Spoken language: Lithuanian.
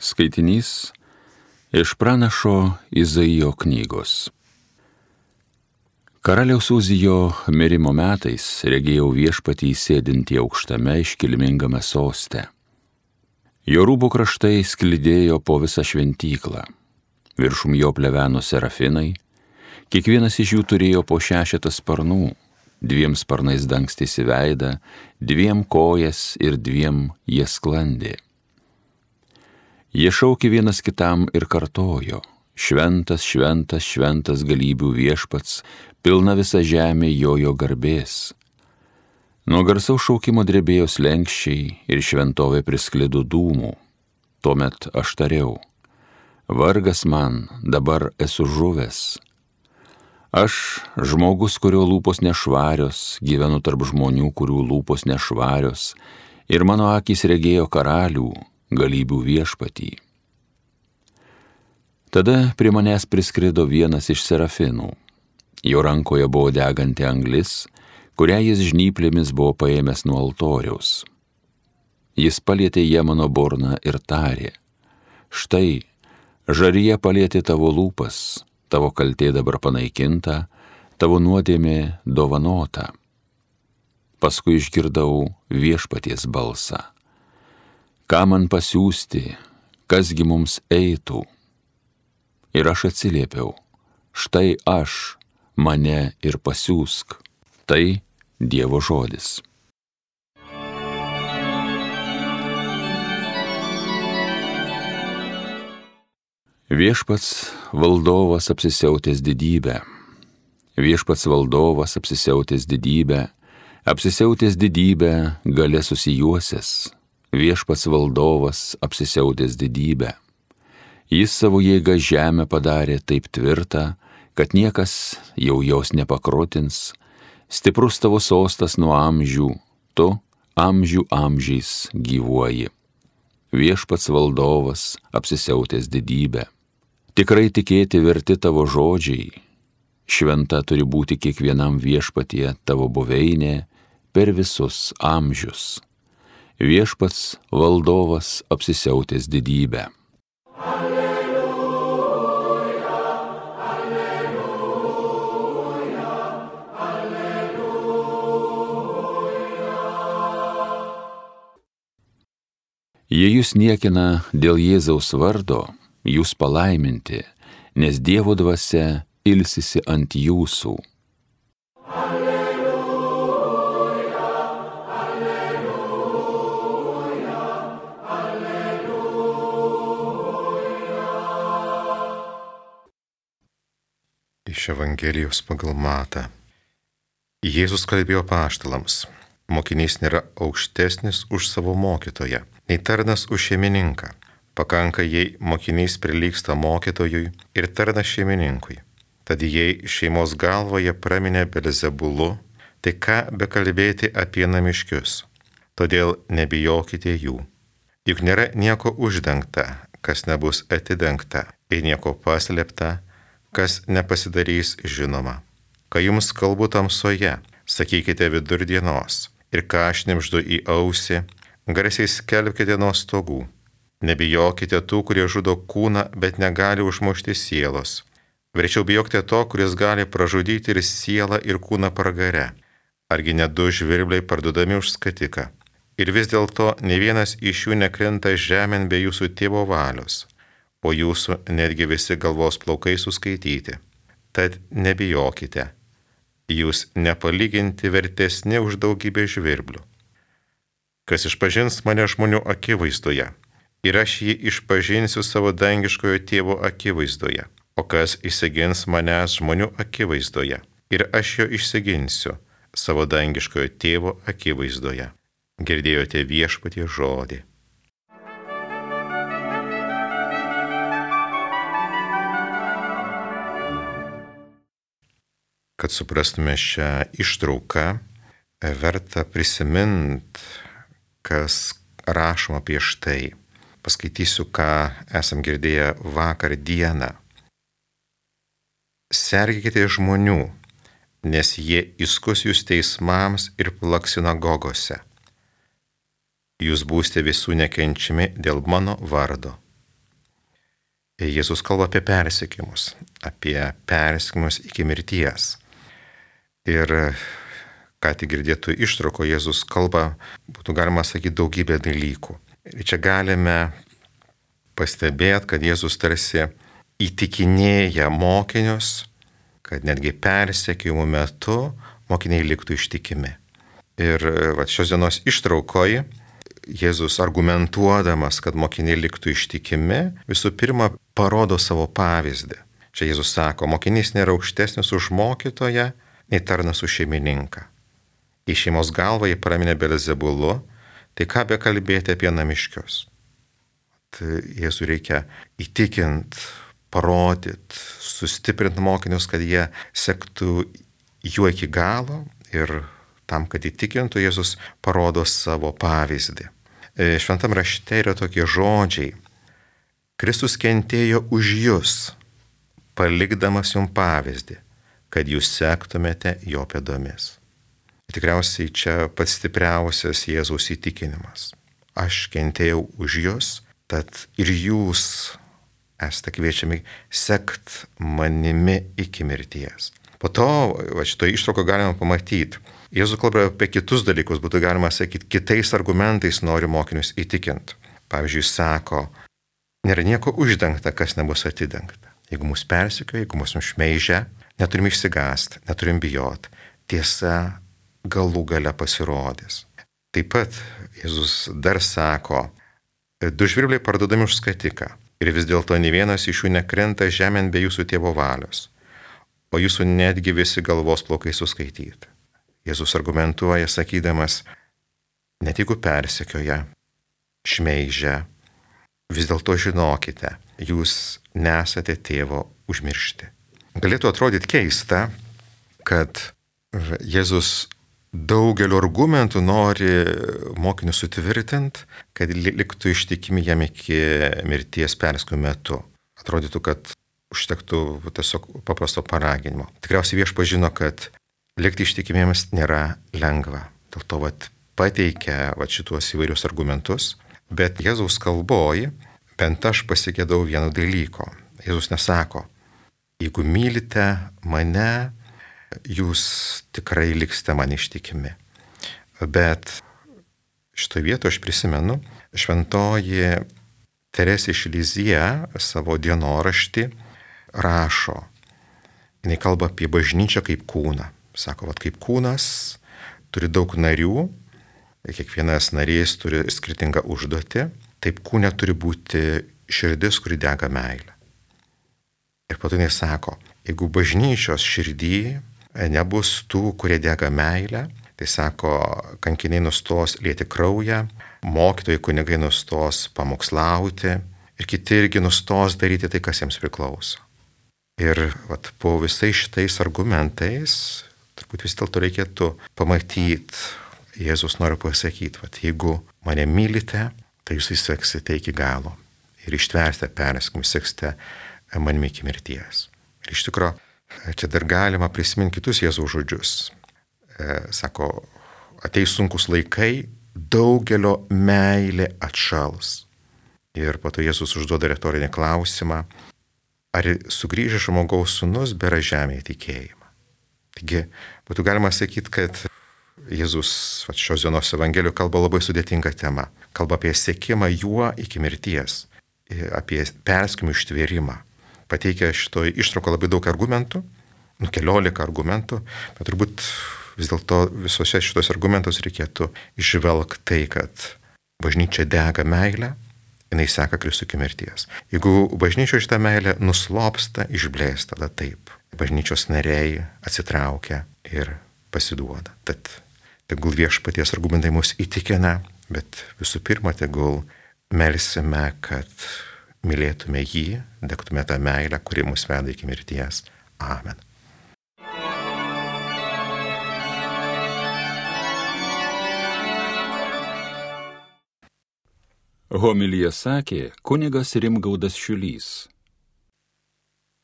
Skaitinys iš pranašo Izaijo knygos. Karaliaus Uzijo mirimo metais regėjau Viešpatį sėdintį aukštame iškilmingame soste. Jo rūbų kraštai sklidėjo po visą šventyklą. Viršum jo pleveno serafinai, kiekvienas iš jų turėjo po 6 sparnų, 2 sparnais dangstėsi veidą, 2 kojas ir 2 jie sklandė. Jie šaukė vienas kitam ir kartojo: Šventas, šventas, šventas galybių Viešpats, pilna visa žemė jo garbės. Nuo garsaus šaukimo drebėjo slenksčiai ir šventovė prisklido dūmų. Tuomet aš tariau: vargas man, dabar esu žuvęs. Aš, žmogus, kurio lūpos nešvarios, gyvenu tarp žmonių, kurių lūpos nešvarios, ir mano akys regėjo karalių, galybių Viešpatį. Tada prie manęs priskrido vienas iš serafinų. Jo rankoje buvo deganti anglis, kurią jis žnyplėmis buvo paėmęs nuo altoriaus. Jis palietė ją mano burną ir tarė: štai, žarija palietė tavo lūpas, tavo kaltė dabar panaikinta, tavo nuodėmė dovanota. Paskui išgirdau Viešpaties balsą: ką man pasiųsti, kasgi mums eitų? Ir aš atsiliepiau: štai aš, mane ir pasiųsk. Tai Dievo žodis. Viešpats valdovas apsisiautęs didybę. Viešpats valdovas apsisiautęs didybę, apsisiautęs didybę galia susijuosęs. Viešpats valdovas apsisiautęs didybę. Jis savo jėgą žemę padarė taip tvirtą, kad niekas jau jos nepakrotins. Stiprus tavo sostas nuo amžių, tu amžių amžiais gyvuoji. Viešpats valdovas apsisiautęs didybę. Tikrai tikėti verti tavo žodžiai. Šventa turi būti kiekvienam Viešpatie tavo buveinė per visus amžius. Viešpats valdovas apsisiautęs didybę. Alleluja, alleluja, alleluja. Jei jūs niekina dėl Jėzaus vardo, jūs palaiminti, nes Dievo dvasia ilsisi ant jūsų. Iš Evangelijos pagal Matą. Jėzus kalbėjo apaštalams: mokinys nėra aukštesnis už savo mokytoją, nei tarnas už šeimininką. Pakanka, jei mokinys prilygsta mokytojui ir tarnas šeimininkui. Tad jei šeimos galvoje praminė Belzebulu, tai ką bekalbėti apie namiškius? Todėl nebijokite jų. Juk nėra nieko uždengta, kas nebus atidengta, ir nieko paslėpta, kas nepasidarys žinoma. Kai jums kalbu tamsoje, sakykite vidurdienos, ir ką šnibždu į ausį, garsiai skelbkite nuo stogų. Nebijokite tų, kurie žudo kūną, bet negali užmušti sielos. Verčiau bijokite to, kuris gali pražudyti ir sielą, ir kūną pragare. Argi ne 2 žvirbliai parduodami už skatiką? Ir vis dėlto ne vienas iš jų nekrinta žemėn be jūsų tėvo valios, o jūsų netgi visi galvos plaukai suskaityti. Tad nebijokite, jūs nepalyginti vertesni už daugybę žvirblių. Kas išpažins mane žmonių akivaizdoje, ir aš jį išpažinsiu savo dangiškojo tėvo akivaizdoje, o kas išsigins manęs žmonių akivaizdoje, ir aš jo išsiginsiu savo dangiškojo tėvo akivaizdoje. Girdėjote Viešpaties žodį. Kad suprastume šią ištrauką, verta prisiminti, kas rašoma prieš tai. Paskaitysiu, ką esam girdėję vakar dieną. Sergėkite žmonių, nes jie įskus jūs teismams ir plaks sinagogose. Jūs būsite visų nekenčiami dėl mano vardo. Jėzus kalba apie persekiojimus iki mirties. Ir ką tik girdėtų ištrauko, Jėzus kalba, būtų galima sakyti, daugybę dalykų. Ir čia galime pastebėti, kad Jėzus tarsi įtikinėja mokinius, kad netgi persekiojimų metu mokiniai liktų ištikimi. Ir šios dienos ištraukoje Jėzus argumentuodamas, kad mokiniai liktų ištikimi, visų pirma parodo savo pavyzdį. Čia Jėzus sako, mokinys nėra aukštesnis už mokytoją, nei tarnas už šeimininką. Į šeimos galvą jį praminė Belzebulu, tai ką be kalbėti apie namiškius. Jėzui reikia įtikint, parodyt, sustiprint mokinius, kad jie sektų juo iki galo, ir tam, kad įtikintų, Jėzus parodo savo pavyzdį. Šventam rašte yra tokie žodžiai. Kristus kentėjo už jus, palikdamas jums pavyzdį, kad jūs sektumėte jo pėdomis. Tikriausiai čia pats stipriausias Jėzaus įtikinimas. Aš kentėjau už jus, tad ir jūs esate kviečiami sekt manimi iki mirties. Po to, šitoje ištraukoje galima pamatyti, Jėzus kalba apie kitus dalykus, būtų galima sakyti, kitais argumentais nori mokinius įtikinti. Pavyzdžiui, sako, nėra nieko uždengta, kas nebus atidengta. Jeigu mus persekioja, jeigu mus šmeižia, neturim išsigąsti, neturim bijoti. Tiesa galų gale pasirodys. Taip pat Jėzus dar sako, 2 žvirbliai parduodami už skatiką, ir vis dėlto nė vienas iš jų nekrenta žemėn be jūsų tėvo valios, o jūsų netgi visi galvos plaukai suskaityti. Jėzus argumentuoja, sakydamas, net jeigu persekioja, šmeižia, vis dėlto žinokite, jūs nesate tėvo užmiršti. Galėtų atrodyti keista, kad Jėzus daugeliu argumentų nori mokinius sutvirtinti, kad liktų ištikimi jam iki mirties persekiojimo metu. Atrodytų, kad užtektų tiesiog paprasto paraginimo. Tikriausiai viešpats žino, kad likti ištikimiems nėra lengva. Dėl to pateikia šituos įvairius argumentus, bet Jėzaus kalboje bent aš pasigėdau vieno dalyko. Jėzus nesako, jeigu mylite mane, jūs tikrai liksite man ištikimi. Bet šitoje vietoje aš prisimenu, šventoji Teresė iš Lizija savo dienoraštį rašo. Jis kalba apie bažnyčią kaip kūną. Sako, kaip kūnas turi daug narių, kiekvienas narys turi skirtingą užduotį, taip kūne turi būti širdis, kuri dega meilę. Ir po to jis sako, jeigu bažnyčios širdį nebus tų, kurie dega meilę, tai sako, kankiniai nustos lieti kraują, mokytojai kunigai nustos pamokslauti ir kiti irgi nustos daryti tai, kas jiems priklauso. Ir po visais šitais argumentais, turbūt vis dėlto reikėtų pamatyti, Jėzus nori pasakyti, jeigu mane mylite, tai jūs seksite iki galo ir ištversite persekiojimus, seksite manimi iki mirties. Ir iš tikrųjų, čia dar galima prisiminti kitus Jėzaus žodžius. Sako, ateis sunkus laikai, daugelio meilė atšals. Ir po to Jėzus užduoda retorinį klausimą, ar sugrįžęs žmogaus sūnus bėra žemėje tikėjimą. Taigi, būtų galima sakyti, kad Jėzus šios dienos Evangelijų kalba labai sudėtingą temą. Kalba apie sekimą juo iki mirties, apie persekiojimų ištvėrimą. Pateikia šitoje ištraukoje labai daug argumentų, 14 argumentų, bet turbūt vis dėlto visose šitos argumentus reikėtų išvelgti tai, kad bažnyčia dega meilę, jinai seka Kristų iki mirties. Jeigu bažnyčioje šitą meilę nuslopsta, išblėsta, tada taip. Bažnyčios nariai atsitraukia ir pasiduoda. Tad tegul viešpaties argumentai mus įtikina, bet visų pirma, tegul melsime, kad mylėtume jį, degtume tą meilę, kuri mus veda iki mirties. Amen. Homiliją sakė kunigas Rimgaudas Šiulys.